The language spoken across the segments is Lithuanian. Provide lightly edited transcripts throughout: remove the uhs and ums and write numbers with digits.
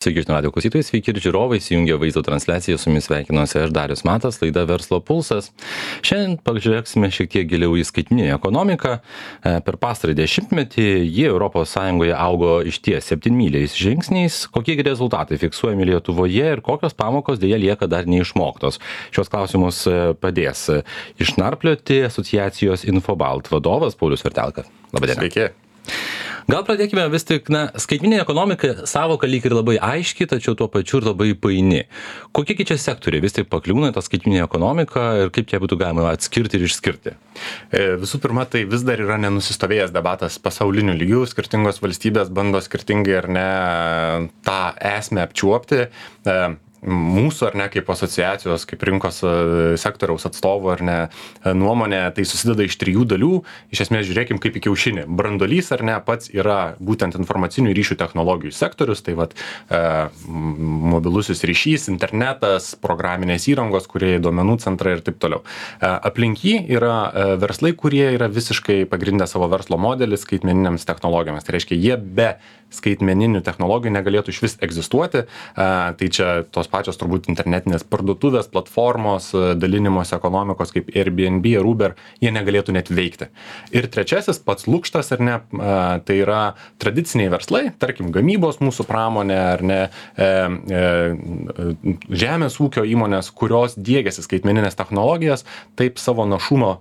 Sveiki, žinių radijo klausytojai, sveiki ir žiūrovai, įsijungia vaizdo transliaciją, su jumis sveikinuosi aš Darius Matas, laida Verslo pulsas. Šiandien pažiūrėsime šiek tiek giliau į skaitmeninę ekonomiką. Per pastarąjį dešimtmetį ji ES augo išties 7-myliais žingsniais. Kokie rezultatai fiksuojami Lietuvoje ir kokios pamokos dėja lieka dar neišmoktos? Šios klausimus padės išnarplioti asociacijos Infobalt vadovas Paulius Vertelka. Labadiena. Sveiki. Gal pradėkime vis tik, skaitmeninė ekonomika savoka lyg ir labai aiški, tačiau tuo pačiu ir labai paini. Kokie čia sektoriai vis tik pakliūna tą skaitmeninę ekonomiką ir kaip ją būtų galima atskirti ir išskirti? Visų pirma, tai vis dar yra nenusistovėjęs debatas pasauliniu lygiu, skirtingos valstybės bando skirtingai ar ne tą esmę apčiuopti. Mūsų ar ne kaip asociacijos, kaip rinkos sektoriaus atstovų ar ne nuomonė, tai susideda iš 3 dalių. Iš esmės žiūrėkim kaip į kiaušinį. Branduolys ar ne pats yra būtent informacinių ryšių technologijų sektorius, tai vat mobilusis ryšys, internetas, programinės įrangos, kurie duomenų centrai ir taip toliau. Aplink jį yra verslai, kurie yra visiškai pagrindę savo verslo modelį skaitmeninėms technologijomis. Tai reiškia, jie be skaitmeninių technologijų negalėtų išvis egzistuoti. Tai čia tos pačios turbūt internetinės parduotuvės, platformos, dalinimos ekonomikos kaip Airbnb ar Uber, jie negalėtų net veikti. Ir trečiasis, pats lukštas ar ne, tai yra tradiciniai verslai, tarkim gamybos mūsų pramonė ar ne, žemės ūkio įmonės, kurios diegiasi skaitmeninės technologijas, taip savo našumo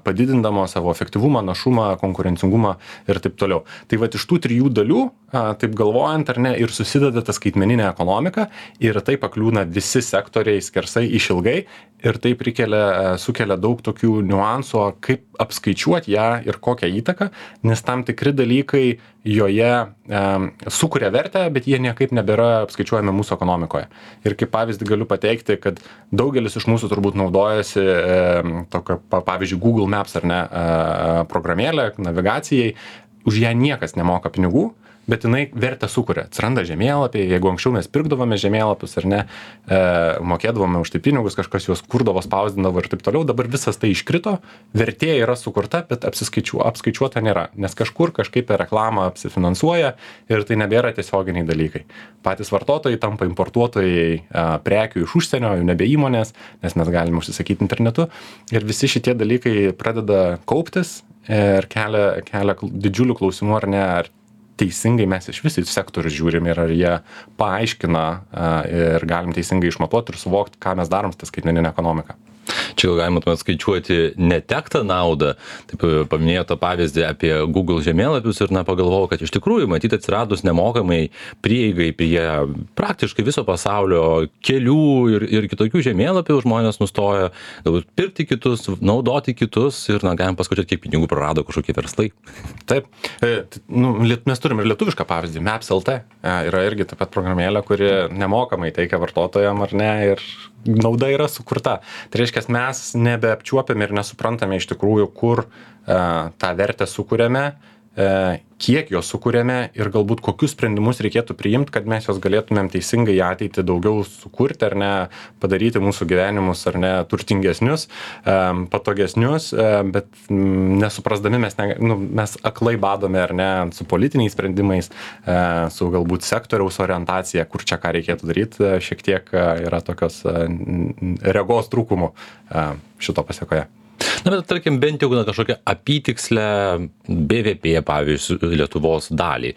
padidindamo, savo efektyvumą, našumą, konkurencingumą ir taip toliau. Tai vat iš tų 3 dalių, taip galvojant ar ne, ir susideda ta skaitmeninė ekonomika ir tai pakliūna visi sektoriai skersai išilgai ir taip sukelia daug tokių niuansų, kaip apskaičiuoti ją ir kokią įtaką, nes tam tikri dalykai joje sukuria vertę, bet jie niekaip nebėra apskaičiuojami mūsų ekonomikoje. Ir kaip pavyzdį galiu pateikti, kad daugelis iš mūsų turbūt naudojasi tokio, pavyzdžiui, Google Maps ar ne programėlę navigacijai, už ją niekas nemoka pinigų, bet jinai vertę sukuria. Atsiranda žemėlapiai, jeigu anksčiau mes pirkdavome žemėlapius ar ne, mokėdavome už tai pinigus, kažkas juos kurdavo, spausdindavo ir taip toliau, dabar visas tai iškrito, vertė yra sukurta, bet apskaičiuota nėra, nes kažkur kažkaip per reklamą apsifinansuoja ir tai nebėra tiesioginiai dalykai. Patys vartotojai tampa importuotojai prekių iš užsienio, jau nebe įmonės, nes mes galime užsisakyti internetu ir visi šitie dalykai pradeda kauptis ir kelia didžiulių klausimų ar ne, ar teisingai mes iš visų sektorių žiūrim ir ar jie paaiškina ir galim teisingai išmatuoti ir suvokti, ką mes darom su ta skaitmeninė ekonomika. Čia galima tuomet skaičiuoti netektą naudą. Taip paminėjo tą pavyzdį apie Google žemėlapius ir pagalvojau, kad iš tikrųjų matyti atsiradus nemokamai prieigai prie praktiškai viso pasaulio kelių ir kitokių žemėlapių, žmonės nustojo galbūt pirkti kitus, naudoti kitus ir galim paskaičiuoti, kiek pinigų prarado kažkokie verslai. Taip, mes turim ir lietuvišką pavyzdį, Maps.lt yra irgi taip pat programėlė, kuri nemokamai teikia vartotojam ar ne ir nauda yra sukurta. Tai reiškia, mes nebeapčiuopiame ir nesuprantame iš tikrųjų, kur tą vertę sukuriame, kiek jos sukuriame ir galbūt kokius sprendimus reikėtų priimti, kad mes jos galėtumėm teisingai į ateitį daugiau sukurti ar ne, padaryti mūsų gyvenimus ar ne turtingesnius, patogesnius, bet nesuprasdami mes aklai badome ar ne su politiniais sprendimais, su galbūt sektoriaus orientacija, kur čia ką reikėtų daryti, šiek tiek yra tokios regos trūkumų šito pasiekoje. Bet tarkim, bent jau kažkokią apytikslę BVP, pavyzdžiui, Lietuvos dalį.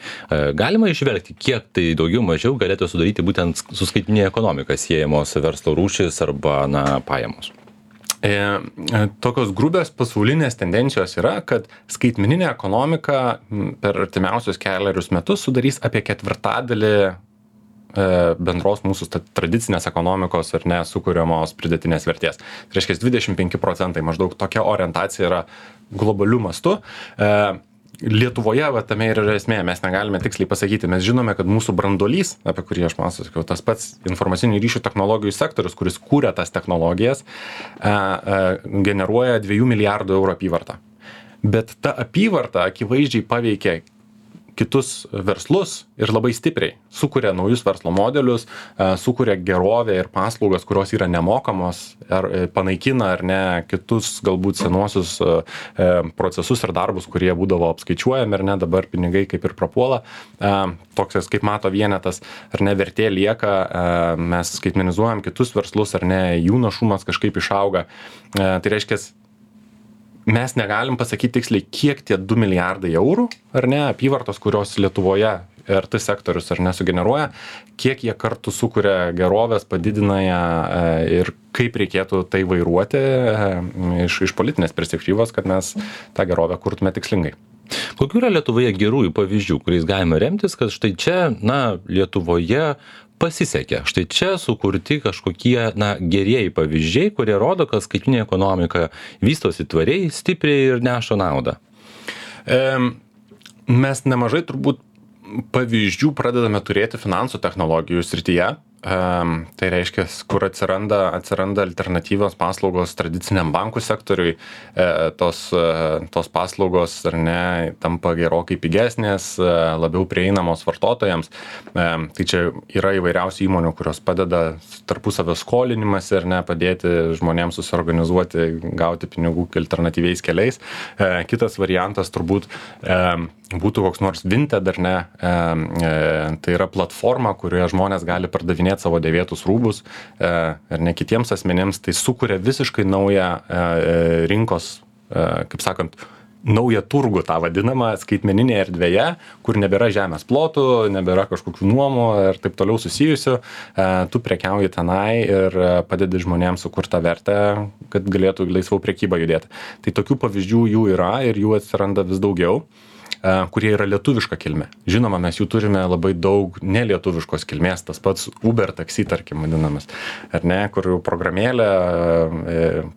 Galima išvelgti, kiek tai daugiau mažiau galėtų sudaryti būtent su skaitmeninė ekonomika siejamos verslo rūšis arba pajamos? Tokios grubios pasaulinės tendencijos yra, kad skaitmeninė ekonomika per artimiausius kelerius metus sudarys apie 1/4 bendros mūsų tradicinės ekonomikos ar ne sukuriamos pridėtinės vertės. Tai reiškia 25% maždaug tokia orientacija yra globaliu mastu. Lietuvoje tame ir yra esmė, mes negalime tiksliai pasakyti, mes žinome, kad mūsų branduolys, apie kurį aš pasakiau, tas pats informacinių ryšių technologijų sektorius, kuris kūrė tas technologijas, generuoja 2 milijardų eurų apyvartą. Bet ta apyvarta akivaizdžiai paveikia kitus verslus ir labai stipriai sukuria naujus verslo modelius, sukuria gerovę ir paslaugas, kurios yra nemokamos, ar panaikina ar ne kitus galbūt senuosius procesus ir darbus, kurie būdavo apskaičiuojami ar ne, dabar pinigai kaip ir prapuola. Toks kaip mato vienetas, ar ne, vertė lieka, mes skaitmenizuojam kitus verslus, ar ne, jų našumas kažkaip išauga. Tai reiškia, mes negalim pasakyti tiksliai, kiek tie 2 milijardai eurų, ar ne, apyvartos, kurios Lietuvoje RT sektorius ar nesugeneruoja, kiek jie kartu sukuria gerovės, padidina ją ir kaip reikėtų tai vairuoti iš politinės perspektyvos, kad mes tą gerovę kurtume tikslingai. Kokių yra Lietuvoje gerųjų pavyzdžių, kuriais galime remtis, kad štai čia, Lietuvoje pasisekė. Štai čia sukurti kažkokie, gerieji pavyzdžiai, kurie rodo, kad skaitmeninė ekonomika vystosi tvariai, stipriai ir neša naudą. Mes nemažai turbūt pavyzdžių pradedame turėti finansų technologijų srityje. Tai reiškia, kur atsiranda alternatyvios paslaugos tradiciniam bankų sektoriui, tos paslaugos ar ne tampa gerokai pigesnės, labiau prieinamos vartotojams. Tai čia yra įvairiausių įmonių, kurios padeda tarpusavio skolinimas ir ne padėti žmonėms susiorganizuoti, gauti pinigų alternatyviais keliais. Kitas variantas turbūt būtų koks nors Vinted ar ne, tai yra platforma, kurioje žmonės gali pardavinėti savo dėvėtus rūbus ar ne kitiems asmenėms, tai sukuria visiškai naują rinkos, kaip sakant, naują turgų tą vadinamą skaitmeninėje erdvėje, kur nebėra žemės plotų, nebėra kažkokių nuomų ir taip toliau susijusių, tu prekiauji tenai ir padedi žmonėms sukurti tą vertę, kad galėtų laisviau prekyba judėti. Tai tokių pavyzdžių jų yra ir jų atsiranda vis daugiau, kurie yra lietuviška kilmė. Žinoma, mes jų turime labai daug nelietuviškos kilmės, tas pats Uber taksi, tarkim, vadinamas, ar ne, kur programėlė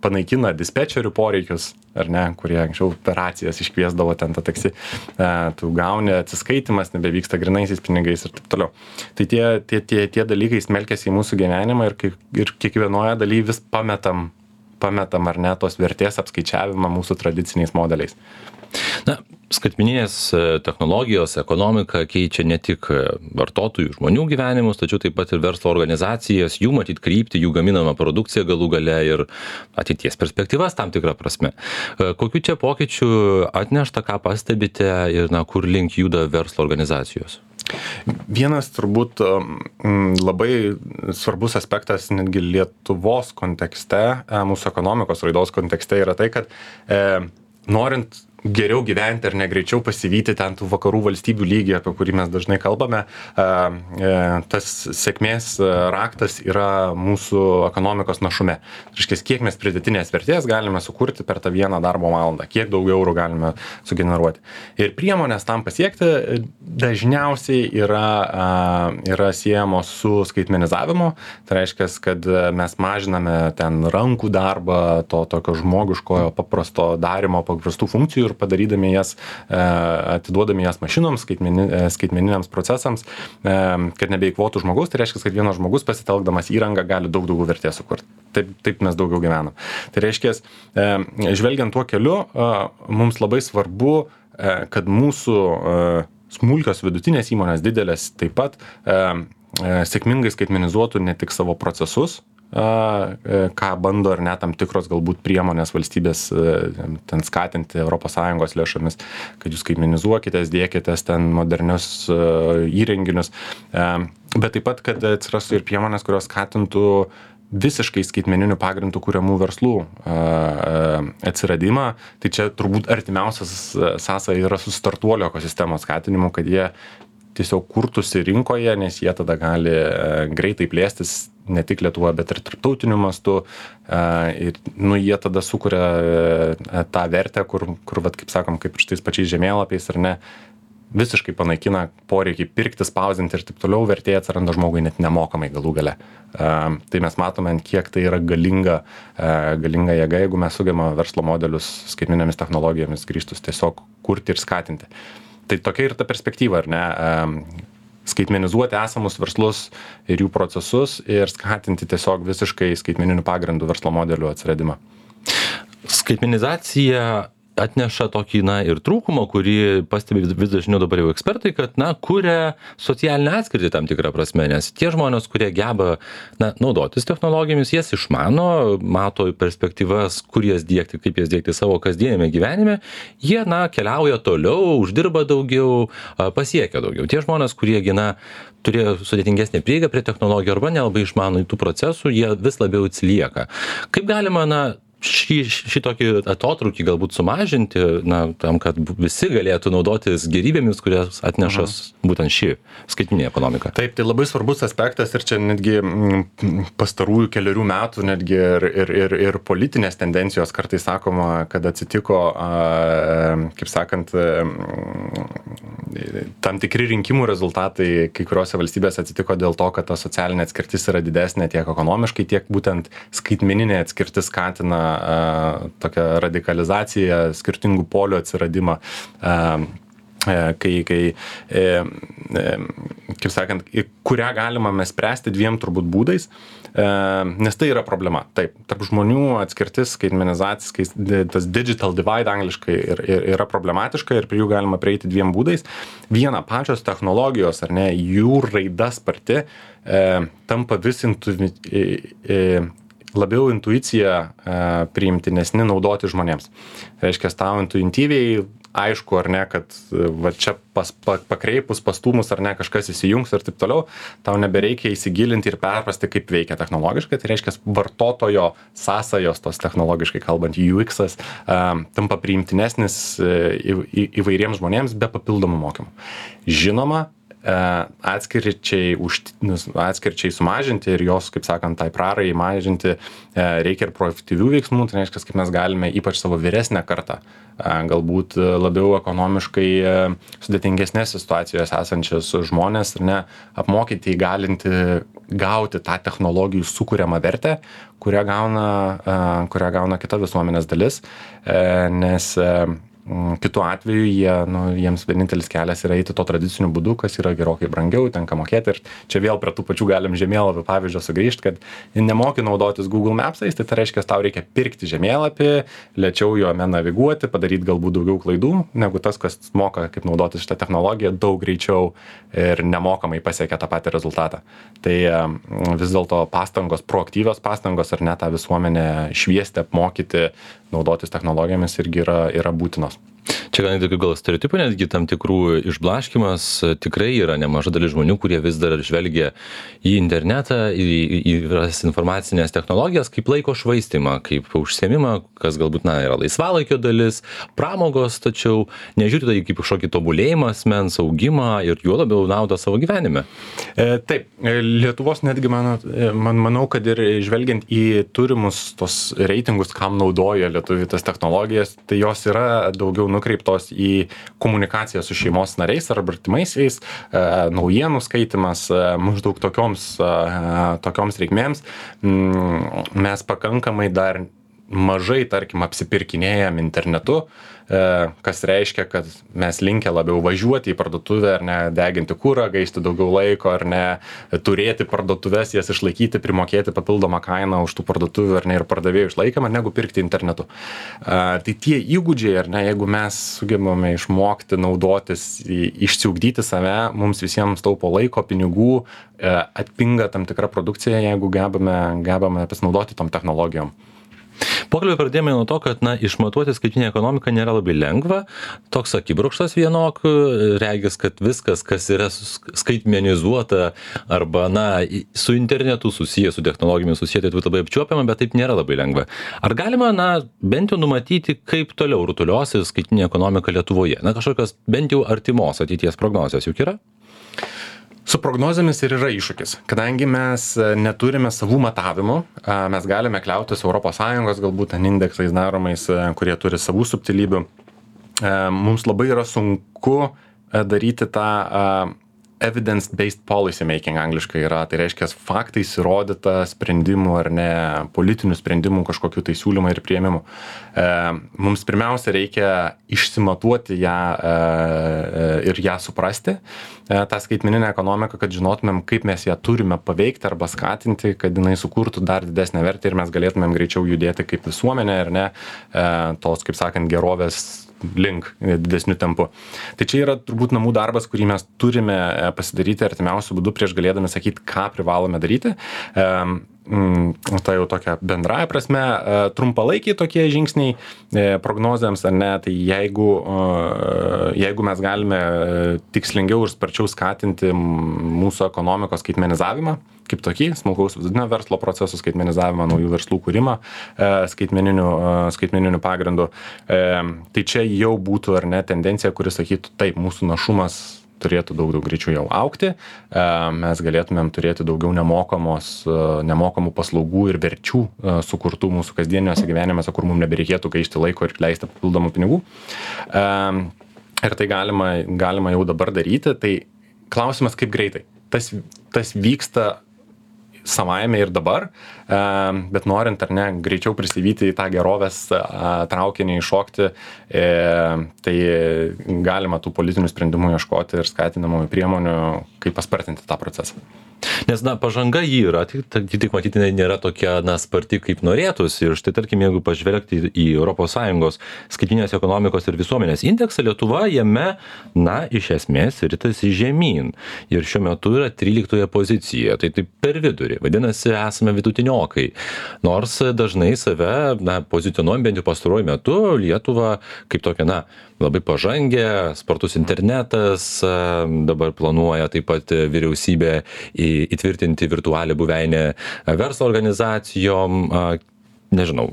panaikina dispečerių poreikius, ar ne, kurie anksčiau operacijas iškviesdavo ten tą taksi, tu gauni atsiskaitimas, nebevyksta grinaisiais pinigais ir taip toliau. Tai tie dalykai smelkiasi į mūsų gyvenimą ir kiekvienoje dalyje vis pametam ar ne tos vertės apskaičiavimą mūsų tradiciniais modeliais. Skaitmeninės technologijos, ekonomika keičia ne tik vartotojų, žmonių gyvenimus, tačiau taip pat ir verslo organizacijas, jų matyt kryptį, jų gaminamą produkciją galų gale ir ateities perspektyvas tam tikrą prasme. Kokių čia pokyčių atnešta, ką pastebite ir kur link juda verslo organizacijos? Vienas turbūt labai svarbus aspektas netgi Lietuvos kontekste, mūsų ekonomikos raidos kontekste yra tai, kad norint geriau gyventi ar negreičiau pasivyti ten tų vakarų valstybių lygį, apie kurį mes dažnai kalbame, tas sėkmės raktas yra mūsų ekonomikos našume. Reiškia, kiek mes pridėtinės vertės galime sukurti per tą vieną darbo valandą, kiek daug eurų galime sugeneruoti. Ir priemonės tam pasiekti dažniausiai yra siejamos su skaitmenizavimu. Tai reiškia, kad mes mažiname ten rankų darbą, to tokio žmogiškojo paprasto darimo, paprastų funkcijų ir padarydami jas, atiduodami jas mašinoms, skaitmeniniams procesams, kad nebeikvotų žmogaus, tai reiškia, kad vienas žmogus pasitelkdamas įrangą gali daug daugiau vertės sukurti. Taip mes daugiau gyvenam. Tai reiškia, žvelgiant tuo keliu, mums labai svarbu, kad mūsų smulkios vidutinės įmonės didelės taip pat sėkmingai skaitmenizuotų ne tik savo procesus, ką bando ar ne tam tikros galbūt priemonės valstybės ten skatinti ES lėšomis, kad jūs skaitmenizuokitės, dėkitės ten modernius įrenginius, bet taip pat, kad atsirastų ir priemonės, kurios skatintų visiškai skaitmeninių pagrindų kuriamų verslų atsiradimą. Tai čia turbūt artimiausias sąsaja yra su startuolio ekosistemos skatinimu, kad jie tiesiog kurtųsi rinkoje, nes jie tada gali greitai plėstis ne tik Lietuvoje, bet ir tarptautiniu mastu. Ir jie tada sukuria tą vertę, kur vat, kaip sakom, kaip ir šitais pačiais žemėlapiais ar ne, visiškai panaikina poreikį pirkti, spausdinti ir taip toliau, vertė atsiranda žmogui net nemokamai galų gale. Tai mes matome, kiek tai yra galinga jėga, jeigu mes sugebame verslo modelius skaitmeninėmis technologijomis grįžtus tiesiog kurti ir skatinti. Tai tokia ir ta perspektyva, ar ne? Skaitmenizuoti esamus verslus ir jų procesus ir skatinti tiesiog visiškai skaitmeninių pagrindų verslo modelių atsiradimą. Skaitmenizacija atneša tokį, ir trūkumą, kurį pastebi vis dažniau dabar jau ekspertai, kad, kuria socialinę atskirtį tam tikrą prasme, nes tie žmonės, kurie geba, naudotis technologijomis, jas išmano, mato perspektyvas, kur jas diegti, kaip jas diegti savo kasdienėme gyvenime, jie, keliauja toliau, uždirba daugiau, pasiekia daugiau. Tie žmonės, kurie, turėjo sudėtingesnę prieigą prie technologijų arba nelabai išmano tų procesų, jie vis labiau atsilieka. Kaip galima, šitokį atotrūkį galbūt sumažinti, tam, kad visi galėtų naudotis gerybėmis, kurias atneša būtent ši skaitmeninė ekonomika. Taip, tai labai svarbus aspektas ir čia netgi pastarųjų keliarių metų netgi ir politinės tendencijos kartais sakoma, kad atsitiko, kaip sakant, tam tikri rinkimų rezultatai kai kuriuose valstybėse atsitiko dėl to, kad ta socialinė atskirtis yra didesnė tiek ekonomiškai, tiek būtent skaitmeninė atskirtis skatina tokią radikalizaciją, skirtingų polių atsiradimą, kaip sakant, kurią galima mes spręsti dviem turbūt būdais, nes tai yra problema. Taip, tarp žmonių atskirtis, skaitmenizacija, tas digital divide angliškai yra problematiška ir prie jų galima prieiti dviem būdais. Viena, pačios technologijos, ar ne, jų raida sparti tampa vis labiau intuicija priimtinesni naudoti žmonėms. Reiškia, tau intuityviai aišku, ar ne, kad va čia pakreipus, pastūmus, ar ne, kažkas įsijungs ir taip toliau, tau nebereikia įsigilinti ir perprasti, kaip veikia technologiškai. Tai reiškia, vartotojo sąsajos, tos technologiškai kalbant, UX-as, tampa priimtinesnis įvairiems žmonėms be papildomų mokymų. Žinoma, atskirčiai sumažinti ir jos, kaip sakant, tai prarai mažinti reikia ir proaktyvių veiksmų, tai reiškia, kaip mes galime ypač savo vyresnę kartą, galbūt labiau ekonomiškai sudėtingesnės situacijos esančias žmonės ir apmokyti, įgalinti gauti tą technologijų sukuriamą vertę, kurią gauna kita visuomenės dalis, nes kitu atveju jiems vienintelis kelias yra eiti to tradiciniu būdu, kas yra gerokai brangiau, tenka mokėti. Ir čia vėl prie tų pačių galim žemėlapio pavyzdžio sugrįžti, kad nemoki naudotis Google Maps'ais, tai reiškia, tau reikia pirkti žemėlapį, lėčiau juome naviguoti, padaryti galbūt daugiau klaidų, negu tas, kas moka, kaip naudotis šitą technologiją, daug greičiau ir nemokamai pasiekia tą patį rezultatą. Tai vis dėlto pastangos, proaktyvios pastangos ar ne tą visuomenę šviesti, apmokyti, naudotis technologijomis irgi yra būtinos. Čia gal stereotipų netgi tam tikrų išblaškimas, tikrai yra nemaža dalis žmonių, kurie vis dar žvelgia į internetą, į informacinės technologijas kaip laiko švaistymą, kaip užsiėmimą, kas galbūt yra laisvalaikio dalis, pramogos, tačiau nežiūri tai kaip kažkokį tobulėjimą asmens, augimą ir juo labiau naudą savo gyvenime. Taip, Lietuvos netgi manau, kad ir žvelgiant į turimus tos reitingus, kam naudoja lietuviai tas technologijas, tai jos yra daugiau nukreiptos į komunikaciją su šeimos nariais ar artimaisiais, naujienų skaitimas, maždaug tokioms reikmėms. Mes pakankamai dar mažai, tarkim, apsipirkinėjam internetu, kas reiškia, kad mes linkę labiau važiuoti į parduotuvę ar ne, deginti kurą, gaišti daugiau laiko ar ne, turėti parduotuvės, jas išlaikyti, primokėti papildomą kainą už tų parduotuvių ar ne ir pardavėjų išlaikymą, negu pirkti internetu. Tai tie įgūdžiai ar ne, jeigu mes sugebame išmokti, naudotis, išsiugdyti save, mums visiems taupo laiko, pinigų, atpinga tam tikra produkcija, jeigu gebame pasinaudoti tom technologijom. Pokalbį pradėjome nuo to, kad išmatuoti skaitinę ekonomiką nėra labai lengva, toks akibrokštas vienok, regis, kad viskas, kas yra skaitmenizuota arba su internetu susiję, su technologijomis susiję, tai labai apčiuopiama, bet taip nėra labai lengva. Ar galima, bent jau numatyti, kaip toliau rutuliosis skaitinė ekonomika Lietuvoje? Kažkokios bent jau artimos ateities prognozijos juk yra? Su prognozėmis ir yra iššūkis, kadangi mes neturime savų matavimų, mes galime kliautis ES galbūt indeksais daromais, kurie turi savų subtilybių. Mums labai yra sunku daryti tą evidence-based policy making angliškai yra, tai reiškia faktais įrodyta sprendimų ar ne, politinių sprendimų kažkokių tai siūlymų ir priėmimų. Mums pirmiausia reikia išsimatuoti ją ir ją suprasti, tą skaitmeninę ekonomiką, kad žinotumėm, kaip mes ją turime paveikti arba skatinti, kad jinai sukurtų dar didesnę vertę ir mes galėtumėm greičiau judėti kaip visuomenė ar ne, tos, kaip sakant, gerovės link didesnių tempų. Tai čia yra turbūt namų darbas, kurį mes turime pasidaryti artimiausių būdų prieš galėdami sakyti, ką privalome daryti. Tai jau tokia bendraja prasme, trumpalaikiai tokie žingsniai prognozėms ar ne, tai jeigu mes galime tikslingiau ir sparčiau skatinti mūsų ekonomikos skaitmenizavimą, kaip tokį, smulkaus vidutinio verslo procesų skaitmenizavimą, naujų verslų kūrimą skaitmeniniu pagrindu, tai čia jau būtų ar ne tendencija, kuri sakytų, taip, mūsų našumas turėtų daug greičiau jau augti, mes galėtumėm turėti daugiau nemokamų paslaugų ir verčių sukurtų mūsų kasdieniuose gyvenimuose, kur mums nebereikėtų gaišti laiko ir leisti papildomų pinigų. Ir tai galima jau dabar daryti, tai klausimas kaip greitai. Tas vyksta savaime ir dabar, bet norint ar ne greičiau prisivyti į tą gerovės traukinį įšokti, tai galima tų politinių sprendimų ieškoti ir skatinamųjų priemonių, kaip paspartinti tą procesą. Nes, pažanga jį yra, tik matyti nėra tokia, sparti, kaip norėtųsi. Ir štai, tarkim, jeigu pažvelgti į ES skaitmeninės ekonomikos ir visuomenės indeksą, Lietuva jame, iš esmės, ritasi žemyn. Ir šiuo metu yra 13 pozicijoje, tai taip per vidurį. Vadinasi, esame vidutiniokai. Nors dažnai save, pozicionuojam bent jau pastaruoju metu Lietuvą kaip tokia, labai pažangę, spartus internetas, dabar planuoja taip pat vyriausybė įtvirtinti virtualią buveinę verslo organizacijom, nežinau,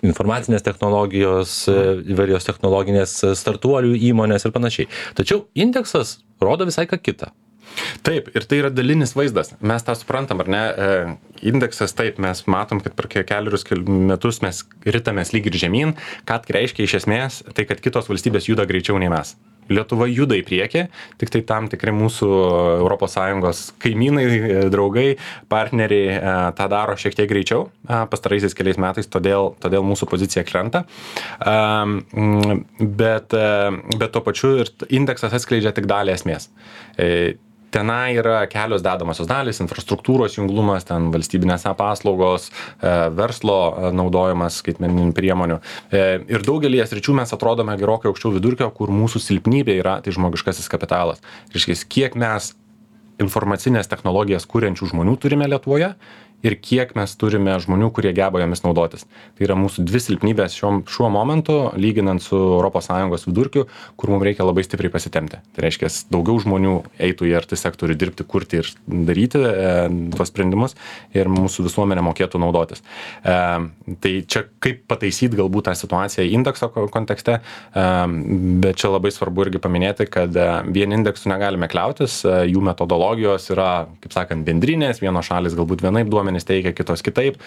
informacinės technologijos, įvairios technologinės startuolių įmonės ir panašiai. Tačiau indeksas rodo visai ką kitą. Taip, ir tai yra dalinis vaizdas. Mes tą suprantam, ar ne? Indeksas, taip, mes matom, kad per kelius metus mes ritamės lyg ir žemyn, ką reiškia iš esmės, tai kad kitos valstybės juda greičiau nei mes. Lietuva juda į priekį, tik tai tam tikri mūsų ES kaimynai, draugai, partneriai tą daro šiek tiek greičiau pastaraisiais keliais metais, todėl mūsų pozicija krenta. Bet tuo pačiu ir indeksas atskleidžia tik dalį esmės. Tenai yra kelios dedamosios dalys, infrastruktūros junglumas, ten valstybinės paslaugos, verslo naudojimas skaitmeninių priemonių. Ir daugelį sričių mes atrodome gerokai aukščiau vidurkio, kur mūsų silpnybė yra tai žmogiškasis kapitalas. Reiškia, kiek mes informacinės technologijas kuriančių žmonių turime Lietuvoje ir kiek mes turime žmonių, kurie geba jomis naudotis. Tai yra mūsų dvi silpnybės šiuo momentu, lyginant su ES vidurkiu, kur mums reikia labai stipriai pasitempti. Tai reiškia, daugiau žmonių eitų į RT sektorių dirbti, kurti ir daryti tuos sprendimus ir mūsų visuomenė mokėtų naudotis. Tai čia kaip pataisyti galbūt tą situaciją indekso kontekste, bet čia labai svarbu irgi paminėti, kad vien indeksų negalime kliautis, jų metodologijos yra, kaip sakant, bendrinės, vienos šalis galbūt vienaip duomenys teikia, kitos kitaip.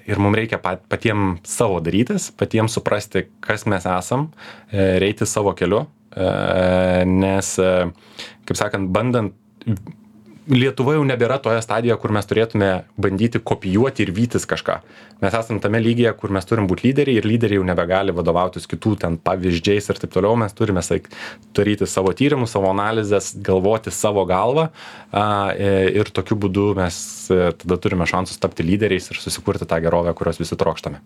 Ir mums reikia patiems savo darytis, patiems suprasti, kas mes esam, reiti savo keliu, nes, kaip sakant, bandant, Lietuva jau nebėra toje stadijoje, kur mes turėtume bandyti kopijuoti ir vytis kažką. Mes esame tame lygyje, kur mes turim būti lyderiai ir lyderiai jau nebegali vadovautis kitų ten pavyzdžiais ir taip toliau. Mes turime daryti savo tyrimus, savo analizės, galvoti savo galvą ir tokiu būdu mes tada turime šansus tapti lyderiais ir susikurti tą gerovę, kurios visi trokštame.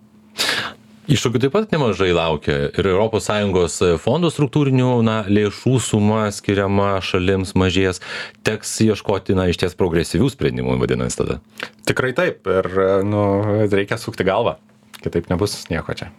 Iššūkių taip pat nemažai laukia ir ES fondų struktūrinių lėšų suma skiriama šalims mažės, teks ieškoti iš ties progresyvių sprendimų, vadinasi tada. Tikrai taip ir reikia sukti galvą, kitaip nebus nieko čia.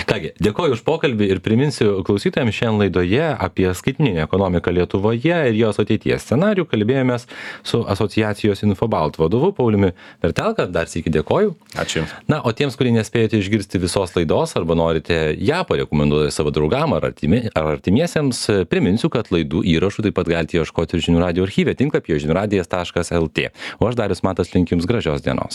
Kągi, dėkoju už pokalbį ir priminsiu klausytojams šiandien laidoje apie skaitmeninę ekonomiką Lietuvoje ir jos ateities scenarijų kalbėjomės su asociacijos Infobalt vadovu Pauliumi Vertelka. Dar sykį dėkoju. Ačiū. O tiems, kurie nespėjote išgirsti visos laidos arba norite ją parekomenduoti savo draugam ar artimiesiems, priminsiu, kad laidų įrašų taip pat galite ieškoti ir Žinių radijo archyve tinklapyje žiniųradijas.lt. O aš Darius Matas linkiu jums gražios dienos.